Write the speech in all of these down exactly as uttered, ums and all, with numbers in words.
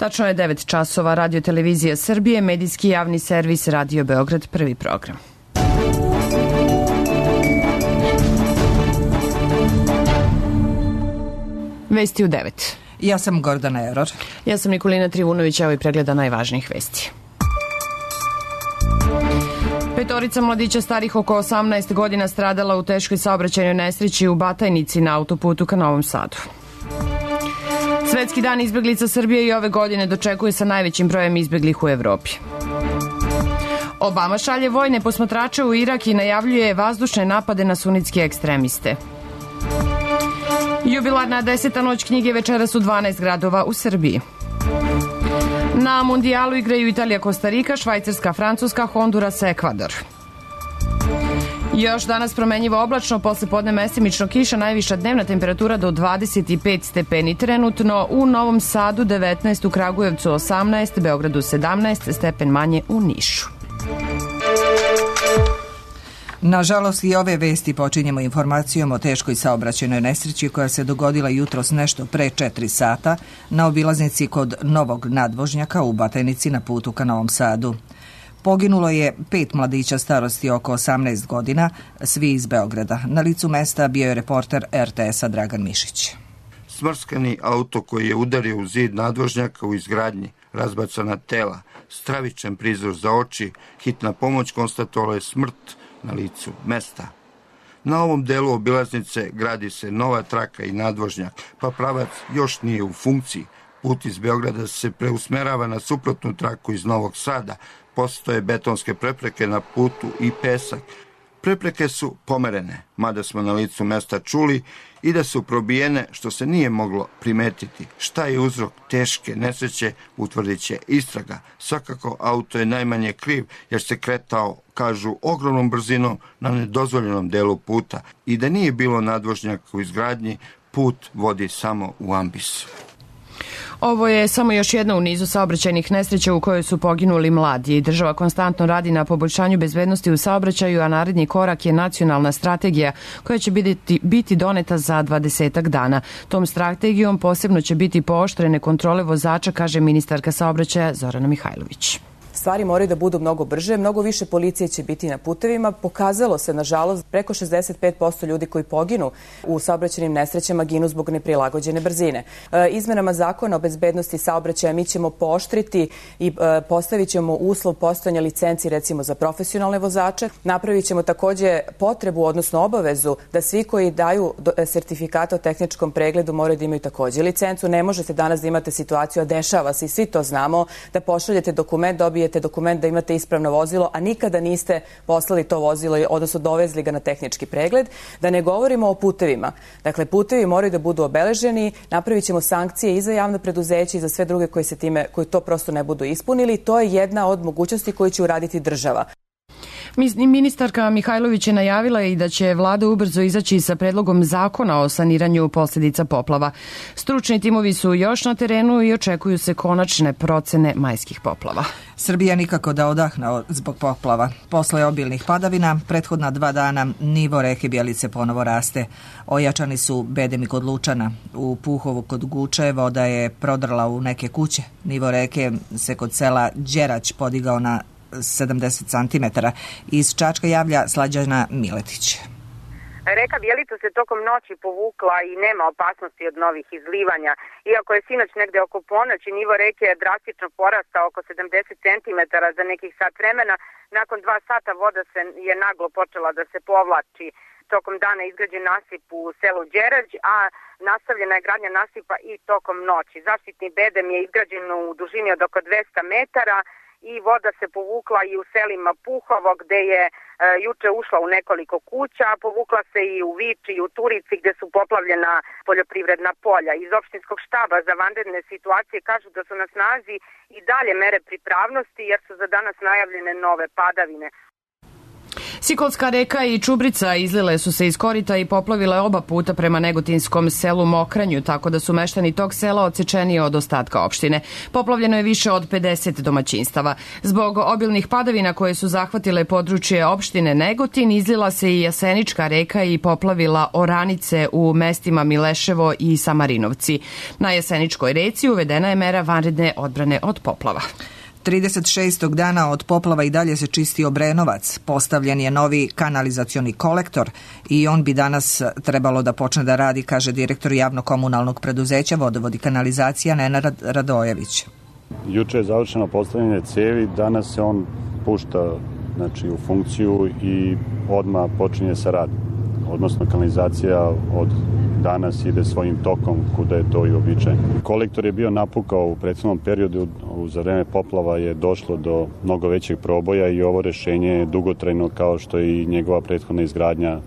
Tačno je devet časova. Radio televizija Srbije, medijski javni servis Radio Beograd, prvi program. Vesti u devet. Ja sam Gordana Eror. Ja sam Nikolina Trivunović, evo i pregleda najvažnijih vesti. Petorica mladića starih oko osamnaest godina stradala u teškoj saobraćajnoj nesreći u Batajnici na autoputu ka Novom Sadu. Svetski dan izbeglica Srbije i ove godine dočekuje sa najvećim brojem izbeglih u Evropi. Obama šalje vojne posmatrače u Irak i najavljuje vazdušne napade na sunitske ekstremiste. Jubilarna deseta noć knjige večeras u dvanaest gradova u Srbiji. Na mundijalu igraju Italija, Kostarika, Švajcarska, Francuska, Honduras, Ekvador. Još danas promenjivo oblačno, posle podne mestimično kiša, najviša dnevna temperatura do dvadeset pet stepeni trenutno, u Novom Sadu devetnaest, u Kragujevcu osamnaest, Beogradu sedamnaest, stepen manje u Nišu. Nažalost, i ove vesti počinjemo informacijom o teškoj saobraćajnoj nesreći koja se dogodila jutros nešto pre četiri sata na obilaznici kod Novog nadvožnjaka u Batajnici na putu ka Novom Sadu. Poginulo je pet mladića starosti oko osamnaest godina, svi iz Beograda. Na licu mesta bio je reporter er te esa Dragan Mišić. Smrskani auto koji je udario u zid nadvožnjaka u izgradnji, razbacana tela, stravičan prizor za oči, hitna pomoć konstatovala je smrt na licu mesta. Na ovom delu obilaznice gradi se nova traka i nadvožnjak, pa pravac još nije u funkciji. Put iz Beograda se preusmerava na suprotnu traku iz Novog Sada. Postoje betonske prepreke na putu i pesak. Prepreke su pomerene, mada smo na licu mesta čuli i da su probijene, što se nije moglo primetiti. Šta je uzrok teške nesreće, utvrdit će istraga. Svakako, auto je najmanje kriv, jer se kretao, kažu, ogromnom brzinom na nedozvoljenom delu puta. I da nije bilo nadvožnjaka u izgradnji, put vodi samo u ambis. Ovo je samo još jedna u nizu saobraćajnih nesreća u kojoj su poginuli mladi. Država konstantno radi na poboljšanju bezbednosti u saobraćaju, a naredni korak je nacionalna strategija koja će biti, biti doneta za dvadesetak dana. Tom strategijom posebno će biti pooštrene kontrole vozača, kaže ministarka saobraćaja Zorana Mihajlović. Stvari moraju da budu mnogo brže, mnogo više policije će biti na putevima. Pokazalo se, nažalost, preko šezdeset pet posto ljudi koji poginu u saobraćajnim nesrećama ginu zbog neprilagođene brzine. E, izmenama zakona o bezbednosti saobraćaja mi ćemo pooštriti i e, postavit ćemo uslov postojanja licenci recimo za profesionalne vozače. Napravit ćemo takođe potrebu, odnosno obavezu da svi koji daju sertifikata o tehničkom pregledu moraju da imaju takođe licencu. Ne možete danas da imate situaciju, a dešava se i svi to znamo, da pošaljete dokument, dobijete dokument da imate ispravno vozilo, a nikada niste poslali to vozilo, odnosno dovezli ga na tehnički pregled. Da ne govorimo o putevima. Dakle, putevi moraju da budu obeleženi, napravit ćemo sankcije i za javno preduzeće i za sve druge koji se time, koji to prosto ne budu ispunili. To je jedna od mogućnosti koju će uraditi država. Ministarka Mihajlović je najavila i da će vlada ubrzo izaći sa predlogom zakona o saniranju posljedica poplava. Stručni timovi su još na terenu i očekuju se konačne procene majskih poplava. Srbija nikako da odahne zbog poplava. Posle obilnih padavina, prethodna dva dana nivo reke Bjelice ponovo raste. Ojačani su bedemi kod Lučana. U Puhovu kod Guče voda je prodrla u neke kuće. Nivo reke se kod sela Đerać podigao na sedamdeset centimetara. Iz Čačka javlja Slađana Miletić. Reka Bjelica se tokom noći povukla i nema opasnosti od novih izlivanja. Iako je sinoć negde oko ponoći nivo reke je drastično porastao oko sedamdeset centimetara za nekih sat vremena, nakon dva sata voda se je naglo počela da se povlači. Tokom dana izgrađen nasip u selu Đerać, a nastavljena je gradnja nasipa i tokom noći. Zaštitni bedem je izgrađen u dužini od oko dvesta metara, i voda se povukla i u selima Puhovo, gde je e, juče ušla u nekoliko kuća, povukla se i u Viči i u Turici, gde su poplavljena poljoprivredna polja. Iz opštinskog štaba za vanredne situacije kažu da su na snazi i dalje mere pripravnosti, jer su za danas najavljene nove padavine. Sikolska reka i Čubrica izlile su se iz korita i poplavile oba puta prema negotinskom selu Mokranju, tako da su meštani tog sela odsečeni od ostatka opštine. Poplavljeno je više od pedeset domaćinstava. Zbog obilnih padavina koje su zahvatile područje opštine Negotin, izlila se i Jasenička reka i poplavila oranice u mestima Mileševo i Samarinovci. Na Jaseničkoj reci uvedena je mera vanredne odbrane od poplava. trideset šestog dana od poplava i dalje se čisti Obrenovac. Postavljen je novi kanalizacioni kolektor i on bi danas trebalo da počne da radi, kaže direktor javno-komunalnog preduzeća Vodovod i kanalizacija Nenad Radojević. Juče je završeno postavljanje cevi, danas se on pušta znači, u funkciju i odmah počinje sa radom. Odnosno kanalizacija od danas ide svojim tokom kuda je to i običajno. Kolektor je bio napukao u prethodnom periodu, za vreme poplava je došlo do mnogo većeg proboja i ovo rešenje je dugotrajno kao što je i njegova prethodna izgradnja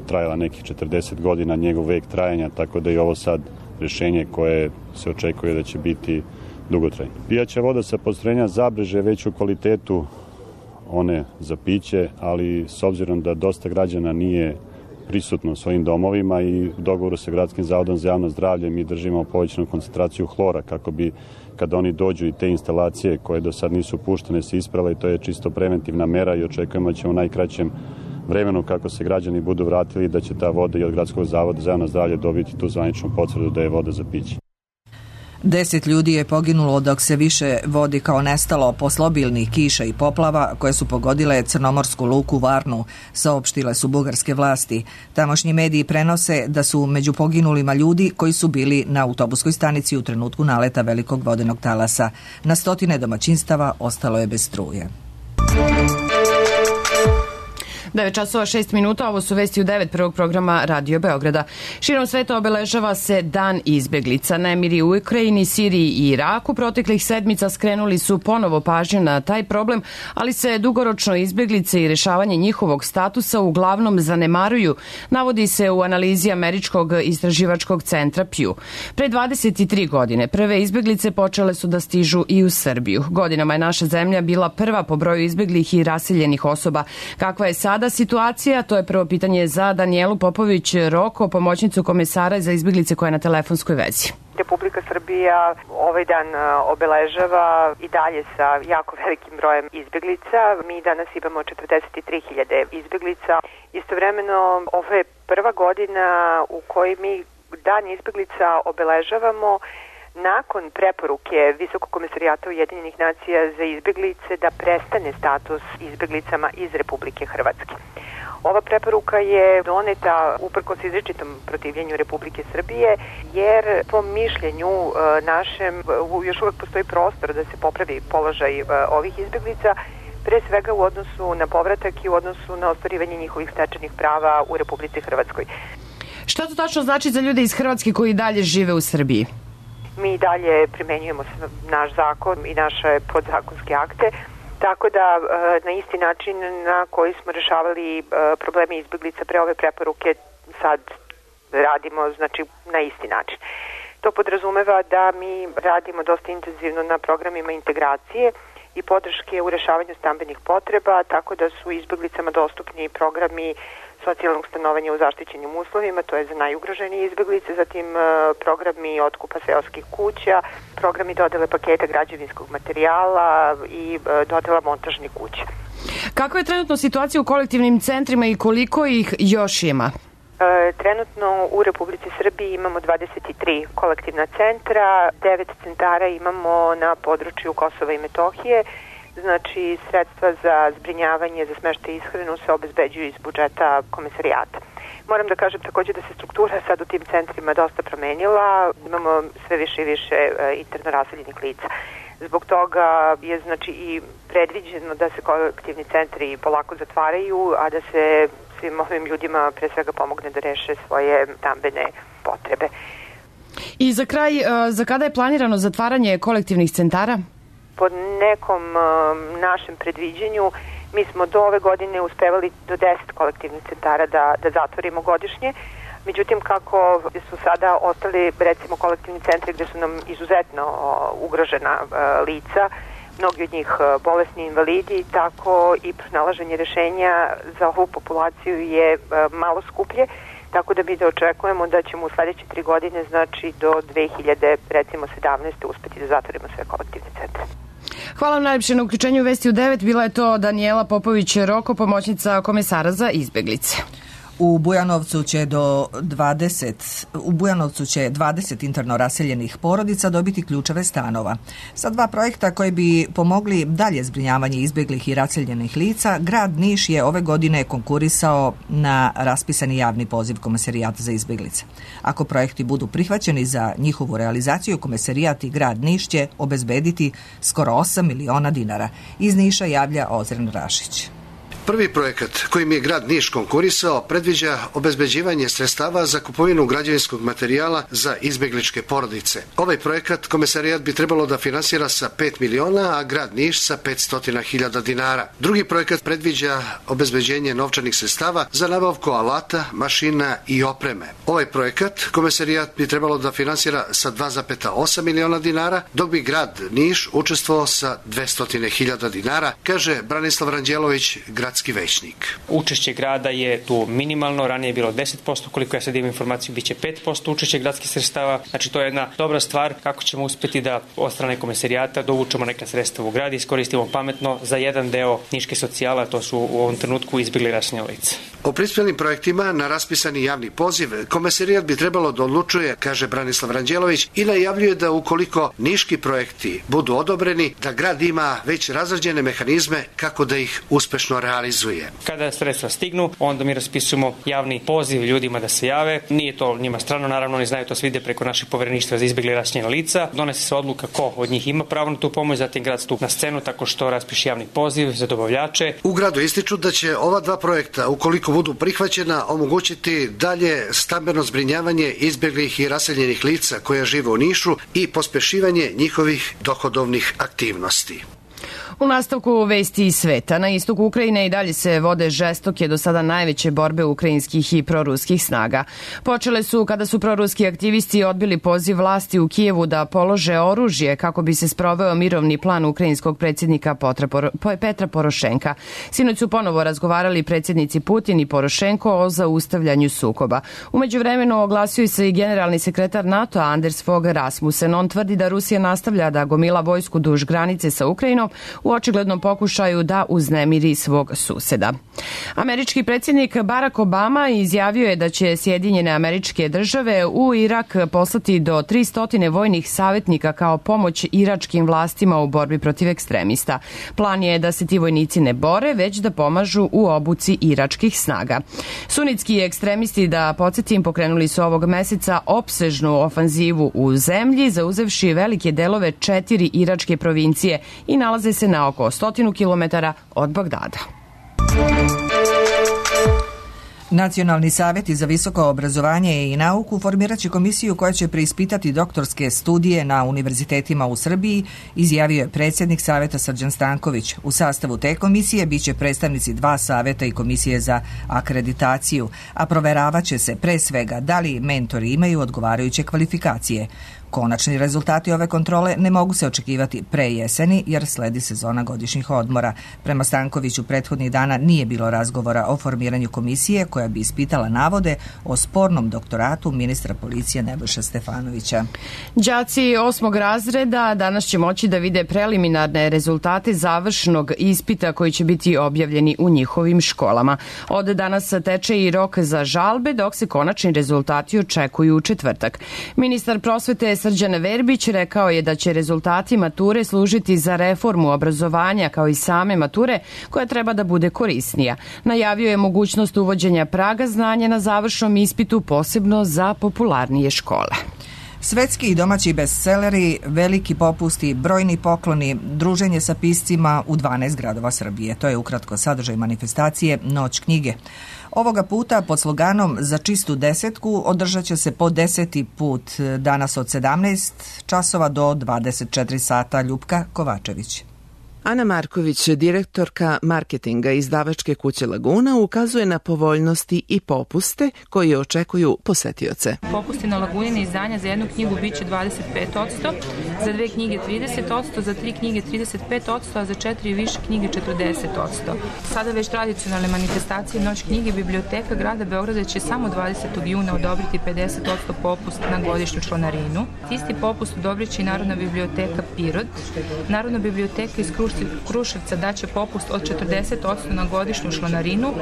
trajala nekih četrdeset godina, njegov vek trajanja, tako da je ovo sad rešenje koje se očekuje da će biti dugotrajno. Pijaća voda sa postrojenja Zabreže već u kvalitetu one za piće, ali s obzirom da dosta građana nije prisutno u svojim domovima i u dogovoru sa Gradskim zavodom za javno zdravlje mi držimo povećanu koncentraciju hlora kako bi kada oni dođu i te instalacije koje do sad nisu puštene se isprave i to je čisto preventivna mera i očekujemo da će u najkraćem vremenu kako se građani budu vratili da će ta voda i od Gradskog zavoda za javno zdravlje dobiti tu zvaničnu potvrdu da je voda za piće. Deset ljudi je poginulo dok se više vodi kao nestalo posle obilnih kiša i poplava koje su pogodile crnomorsku luku Varnu, saopštile su bugarske vlasti. Tamošnji mediji prenose da su među poginulima ljudi koji su bili na autobuskoj stanici u trenutku naleta velikog vodenog talasa. Na stotine domaćinstava ostalo je bez struje. devet časova šest minuta, ovo su vesti u devet prvog programa Radio Beograda. Širom sveta obeležava se Dan izbeglica. Nemiri u Ukrajini, Siriji i Iraku proteklih sedmica skrenuli su ponovo pažnju na taj problem, ali se dugoročno izbeglice i rešavanje njihovog statusa uglavnom zanemaruju, navodi se u analizi Američkog istraživačkog centra Pew. Pre dvadeset tri godine prve izbeglice počele su da stižu i u Srbiju. Godinama je naša zemlja bila prva po broju izbeglih i raseljenih osoba. Kakva je sada situacija? To je prvo pitanje za Danijelu Popović-Roko, pomoćnicu komesara za izbeglice koja je na telefonskoj vezi. Republika Srbija ovaj dan obeležava i dalje sa jako velikim brojem izbeglica. Mi danas imamo četrdeset tri hiljade izbeglica. Istovremeno, ovo je prva godina u kojoj mi Dan izbeglica obeležavamo nakon preporuke Visokog komesarijata Ujedinjenih nacija za izbeglice da prestane status izbeglicama iz Republike Hrvatske. Ova preporuka je doneta uprkos izričitom protivljenju Republike Srbije, jer po mišljenju našem još uvek postoji prostor da se popravi položaj ovih izbeglica, pre svega u odnosu na povratak i u odnosu na ostvarivanje njihovih stečenih prava u Republici Hrvatskoj. Šta to tačno znači za ljude iz Hrvatske koji dalje žive u Srbiji? Mi dalje primenjujemo naš zakon i naše podzakonske akte, tako da na isti način na koji smo rešavali probleme izbeglica pre ove preporuke sad radimo znači na isti način. To podrazumeva da mi radimo dosta intenzivno na programima integracije i podrške u rešavanju stambenih potreba, tako da su izbeglicama dostupni programi socijalnog stanovanja u zaštićenim uslovima, to je za najugroženije izbeglice, zatim programi otkupa seoskih kuća, programi dodele paketa građevinskog materijala i dodela montažnih kuća. Kakva je trenutno situacija u kolektivnim centrima i koliko ih još ima? Trenutno u Republici Srbiji imamo dvadeset tri kolektivna centra, devet centara imamo na području Kosova i Metohije. Znači, sredstva za zbrinjavanje, za smeštaj i ishranu se obezbeđuju iz budžeta komesarijata. Moram da kažem takođe da se struktura sad u tim centrima dosta promenila. Imamo sve više i više interno raseljenih lica. Zbog toga je znači i predviđeno da se kolektivni centri polako zatvaraju, a da se svim ovim ljudima pre svega pomogne da reše svoje stambene potrebe. I za kraj, za kada je planirano zatvaranje kolektivnih centara? Po nekom uh, našem predviđenju mi smo do ove godine uspevali do deset kolektivnih centara da, da zatvorimo godišnje. Međutim, kako su sada ostali recimo kolektivni centri gde su nam izuzetno uh, ugrožena uh, lica, mnogi od njih bolesni invalidi, tako i pronalaženje rešenja za ovu populaciju je malo skuplje, tako da mi da očekujemo da ćemo u sledeće tri godine, znači do dve hiljade sedamnaeste. uspeti da zatvorimo sve kolektivne centre. Hvala vam najljepše na uključenju Vesti u devet. Bila je to Danijela Popović-Roko, pomoćnica komesara za izbeglice. U Bujanovcu će do dvadeset u Bujanovcu će dvadeset interno raseljenih porodica dobiti ključeve stanova. Sa dva projekta koji bi pomogli dalje zbrinjavanje izbeglih i raseljenih lica, grad Niš je ove godine konkurisao na raspisani javni poziv Komesarijata za izbeglice. Ako projekti budu prihvaćeni za njihovu realizaciju, Komesarijat i grad Niš će obezbediti skoro osam miliona dinara. Iz Niša javlja Ozren Rašić. Prvi projekat kojim je grad Niš konkurisao predviđa obezbeđivanje sredstava za kupovinu građevinskog materijala za izbegličke porodice. Ovaj projekat Komesarijat bi trebalo da finansira sa pet miliona, a grad Niš sa petsto hiljada dinara. Drugi projekat predviđa obezbeđenje novčanih sredstava za nabavku alata, mašina i opreme. Ovaj projekat Komesarijat bi trebalo da finansira sa dva zarez osam miliona dinara, dok bi grad Niš učestvovao sa dvesta hiljada dinara, kaže Branislav Ranđelović, grad većnik. Učešće grada je tu minimalno, ranije je bilo deset posto, koliko ja sad imam informaciju, bit će pet posto učešće gradskih sredstava. Znači to je jedna dobra stvar kako ćemo uspeti da od strane Komesarijata dovučemo neka sredstva u grad i iskoristimo pametno za jedan deo niške socijala, to su u ovom trenutku izbjegli raseljena lica. O prispjelim projektima na raspisani javni poziv Komesarijat bi trebalo da odlučuje, kaže Branislav Ranđelović, i najavljuje da ukoliko niški projekti budu odobreni, da grad ima već razrađene mehanizme kako da ih uspešno realizuje. Kada sredstva stignu, onda mi raspisujemo javni poziv ljudima da se jave. Nije to njima strano, naravno oni znaju to sve ide preko našeg povereništva za izbjegli raseljena lica. Donese se odluka ko od njih ima pravo na tu pomoć, zatim grad stupa na scenu tako što raspiše javni poziv za dobavljače. U gradu ističu da će ova dva projekta, ukoliko budu prihvaćena, omogućiti dalje stambeno zbrinjavanje izbjeglih i raseljenih lica koja žive u Nišu i pospešivanje njihovih dohodovnih aktivnosti. U nastavku vesti iz sveta, na istoku Ukrajine i dalje se vode žestoke do sada najveće borbe ukrajinskih i proruskih snaga. Počele su kada su proruski aktivisti odbili poziv vlasti u Kijevu da polože oružje kako bi se sproveo mirovni plan ukrajinskog predsjednika Petra Porošenka. Sinoć su ponovo razgovarali predsjednici Putin i Porošenko o zaustavljanju sukoba. Umeđu vremenu oglasio se i generalni sekretar NATO Anders Fogh Rasmussen. On tvrdi da Rusija nastavlja da gomila vojsku duž granice sa Ukrajinom u očiglednom pokušaju da uznemiri svog suseda. Američki predsjednik Barack Obama izjavio je da će Sjedinjene Američke Države u Irak poslati do tristo vojnih savjetnika kao pomoć iračkim vlastima u borbi protiv ekstremista. Plan je da se ti vojnici ne bore, već da pomažu u obuci iračkih snaga. Sunitski ekstremisti, da podsjetim, pokrenuli su ovog meseca opsežnu ofanzivu u zemlji, zauzevši velike delove četiri iračke provincije i nalaze se na oko stotinu kilometara od Bagdada. Nacionalni savjeti za visoko obrazovanje i nauku formirat će komisiju koja će preispitati doktorske studije na univerzitetima u Srbiji, izjavio je predsjednik savjeta Srđan Stanković. U sastavu te komisije biće predstavnici dva savjeta i komisije za akreditaciju, a proveravat će se pre svega da li mentori imaju odgovarajuće kvalifikacije. Konačni rezultati ove kontrole ne mogu se očekivati pre jeseni jer sledi sezona godišnjih odmora. Prema Stankoviću prethodnih dana nije bilo razgovora o formiranju komisije koja bi ispitala navode o spornom doktoratu ministra policije Nebojše Stefanovića. Đaci osmog razreda danas će moći da vide preliminarne rezultate završnog ispita koji će biti objavljeni u njihovim školama. Od danas teče i rok za žalbe, dok se konačni rezultati očekuju u četvrtak. Ministar prosvete Srđan Verbić rekao je da će rezultati mature služiti za reformu obrazovanja kao i same mature koja treba da bude korisnija. Najavio je mogućnost uvođenja praga znanja na završnom ispitu posebno za popularnije škole. Svetski i domaći bestseleri, veliki popusti, brojni pokloni, druženje sa piscima u dvanaest gradova Srbije. To je ukratko sadržaj manifestacije Noć knjige. Ovoga puta pod sloganom Za čistu desetku održat će se po deseti put danas od sedamnaest časova do dvadeset četiri sata. Ljupka Kovačević. Ana Marković, direktorka marketinga izdavačke kuće Laguna, ukazuje na povoljnosti i popuste koji očekuju posetioce. Popusti na Lagunine izdanja za jednu knjigu biće dvadeset pet posto, za dve knjige trideset posto, za tri knjige trideset pet posto, a za četiri i više knjige četrdeset posto. Sada već tradicionalne manifestacije Noć knjige Biblioteka grada Beograda će samo dvadesetog juna odobriti pedeset posto popust na godišnju članarinu. Isti popust odobrit će i Narodna biblioteka Pirot. Narodna biblioteka iz Kruševca daće popust od četrdeset posto na godišnju članarinu,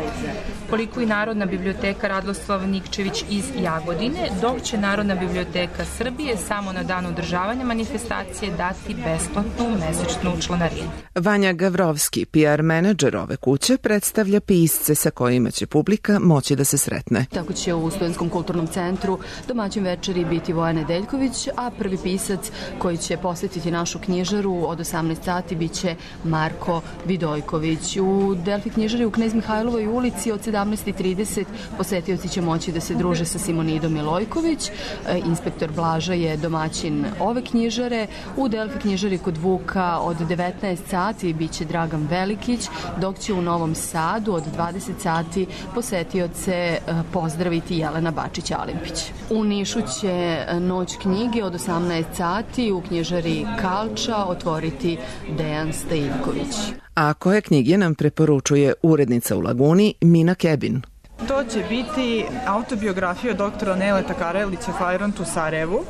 koliko i Narodna biblioteka Radoslav Nikčević iz Jagodine, dok će Narodna biblioteka Srbije samo na dan održavanja manifestacije dati besplatnu mesečnu članarinu. Vanja Gavrovski, P R menadžer ove kuće, predstavlja pisce sa kojima će publika moći da se sretne. Tako će u Studentskom kulturnom centru domaćin večeri biti Voja Nedeljković, a prvi pisac koji će posjetiti našu knjižaru od osamnaest sati biće Marko Vidojković. U Delfi knjižari u Knez Mihajlovoj ulici od sedamnaest i trideset posetioci će moći da se druže sa Simonidom Milojković. Inspektor Blaža je domaćin ove knjižare. U Delfi knjižari kod Vuka od devetnaest sati biće Dragan Velikić, dok će u Novom Sadu od dvadeset sati posetioce pozdraviti Jelena Bačić-Alimpić. U Nišu će Noć knjige od osamnaest sati u knjižari Kalča otvoriti Dejan Stajivković. A koje knjige nam preporučuje urednica u Laguni Mina Kebin? To će biti autobiografija doktora Neleta Karelića Fajront u Sarajevu.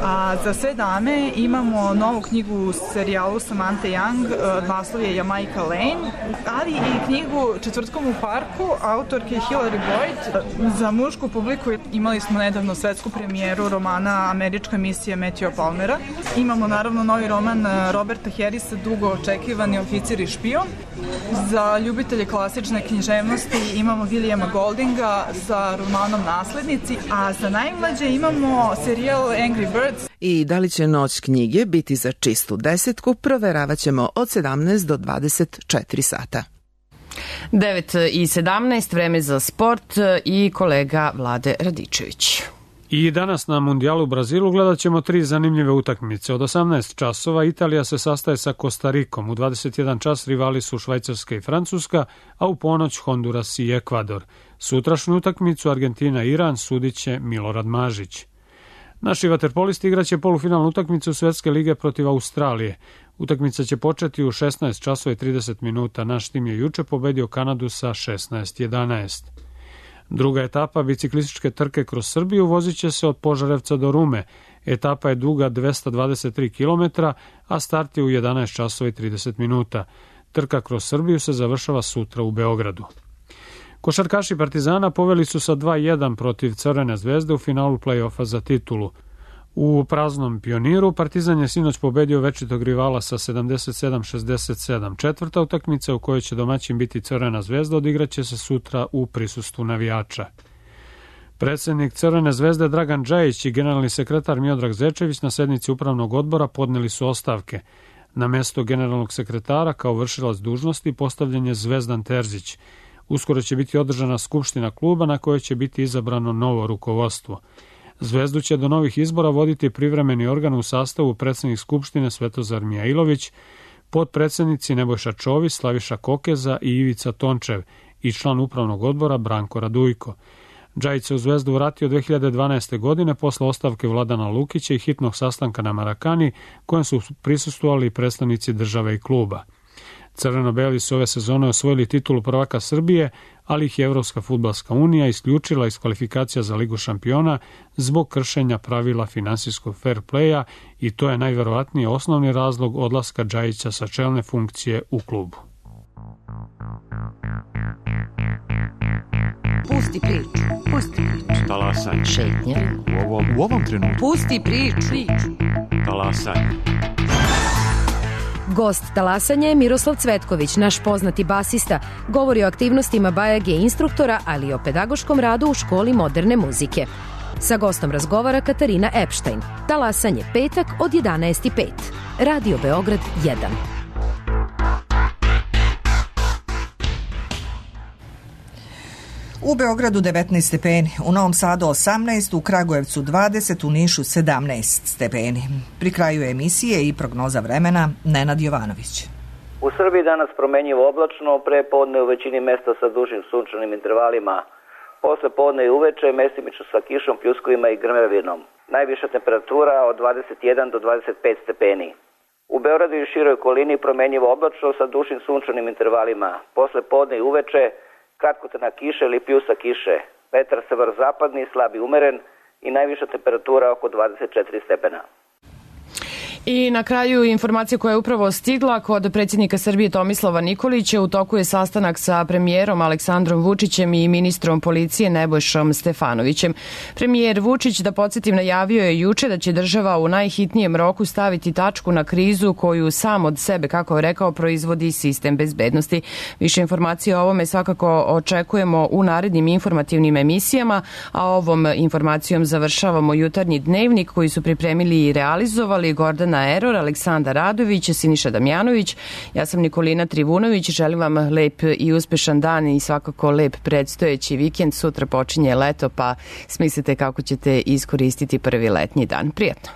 A za sve dame imamo novu knjigu u serijalu Samantha Young, naslov je Jamaica Lane, ali i knjigu Četvrtkom u parku autorke Hilary Boyd. Za mušku publiku imali smo nedavno svetsku premijeru romana Američka misija Matthewa Palmera. Imamo naravno novi roman Roberta Harrisa, dugo očekivani Oficir i špion. Za ljubitelje klasične književnosti imamo Williama Goldinga sa romanom Naslednici, a za najmlađe imamo serijal Angry Birds. I da li će Noć knjige biti za čistu desetku, proveravat ćemo od sedamnaest do dvadeset četiri sata. devet i sedamnaest, vreme za sport i kolega Vlade Radičević. I danas na Mundijalu u Brazilu gledat ćemo tri zanimljive utakmice. Od osamnaest časova Italija se sastaje sa Kostarikom, u dvadeset jedan čas rivali su Švajcarska i Francuska, a u ponoć Honduras i Ekvador. Sutrašnju utakmicu Argentina-Iran sudit će Milorad Mažić. Naši vaterpolisti igraće polufinalnu utakmicu Svetske lige protiv Australije. Utakmica će početi u šesnaest časova i trideset minuta. Naš tim je juče pobedio Kanadu sa šesnaest jedanaest. Druga etapa biciklističke trke kroz Srbiju vozit će se od Požarevca do Rume. Etapa je duga dvesta dvadeset tri kilometra, a start je u jedanaest časova i trideset minuta. Trka kroz Srbiju se završava sutra u Beogradu. Košarkaši Partizana poveli su sa dva jedan protiv Crvene zvezde u finalu play-offa za titulu. U praznom Pioniru Partizan je sinoć pobedio večitog rivala sa sedamdeset sedam šezdeset sedam. Četvrta utakmica u kojoj će domaćin biti Crvena zvezda odigraće se sutra u prisustvu navijača. Predsednik Crvene zvezde Dragan Džajić i generalni sekretar Miodrag Zečević na sednici upravnog odbora podneli su ostavke. Na mesto generalnog sekretara kao vršilac dužnosti postavljen je Zvezdan Terzić. Uskoro će biti održana skupština kluba na kojoj će biti izabrano novo rukovodstvo. Zvezdu će do novih izbora voditi privremeni organ u sastavu predsednik skupštine Svetozar Mijailović, potpredsednici Nebojša Čović, Slaviša Kokeza i Ivica Tončev i član upravnog odbora Branko Radujko. Džajić se u Zvezdu vratio dve hiljade dvanaeste. godine posle ostavke Vladana Lukića i hitnog sastanka na Marakani, kojem su prisustvovali predstavnici države i kluba. Crveno-beli su ove sezone osvojili titulu prvaka Srbije, ali ih je Evropska fudbalska unija isključila iz kvalifikacija za Ligu šampiona zbog kršenja pravila finansijskog fair playa i to je najverovatnije osnovni razlog odlaska Džajića sa čelne funkcije u klubu. Pusti priču, pusti priču. Talasaj. Šetnja. U ovom, u ovom trenutku. Pusti priču. Talasaj. Gost talasanja je Miroslav Cvetković, naš poznati basista. Govori o aktivnostima Bajage instruktora, ali i o pedagoškom radu u školi moderne muzike. Sa gostom razgovara Katarina Epštajn. Talasanje petak od jedanaest i pet. Radio Beograd jedan. U Beogradu devetnaest stepeni, u Novom Sadu osamnaest, u Kragujevcu dvadeset, u Nišu sedamnaest stepeni. Pri kraju emisije i prognoza vremena Nenad Jovanović. U Srbiji danas promenjivo oblačno, pre podne u većini mesta sa dužim sunčanim intervalima. Posle podne i uveče mestimično sa kišom, pljuskovima i grmevinom. Najviša temperatura od dvadeset jedan do dvadeset pet stepeni. U Beogradu i široj okolini promenjivo oblačno sa dužim sunčanim intervalima. Posle podne i uveče kratkotrajna kiša ili pljusak kiše. Vetar severozapadni, slab i umeren i najviša temperatura oko dvadeset četiri stepena. I na kraju informacija koja je upravo stigla kod predsjednika Srbije Tomislava Nikolića. U toku je sastanak sa premijerom Aleksandrom Vučićem i ministrom policije Nebojšom Stefanovićem. Premijer Vučić, da podsjetim, najavio je juče da će država u najhitnijem roku staviti tačku na krizu koju sam od sebe, kako je rekao, proizvodi sistem bezbednosti. Više informacija o ovome svakako očekujemo u narednim informativnim emisijama, a ovom informacijom završavamo jutarnji dnevnik koji su pripremili i realizovali Gordana Eror, Aleksandar Radović, Siniša Damjanović. Ja sam Nikolina Trivunović. Želim vam lep i uspešan dan i svakako lep predstojeći vikend. Sutra počinje leto, pa smislite kako ćete iskoristiti prvi letnji dan. Prijatno.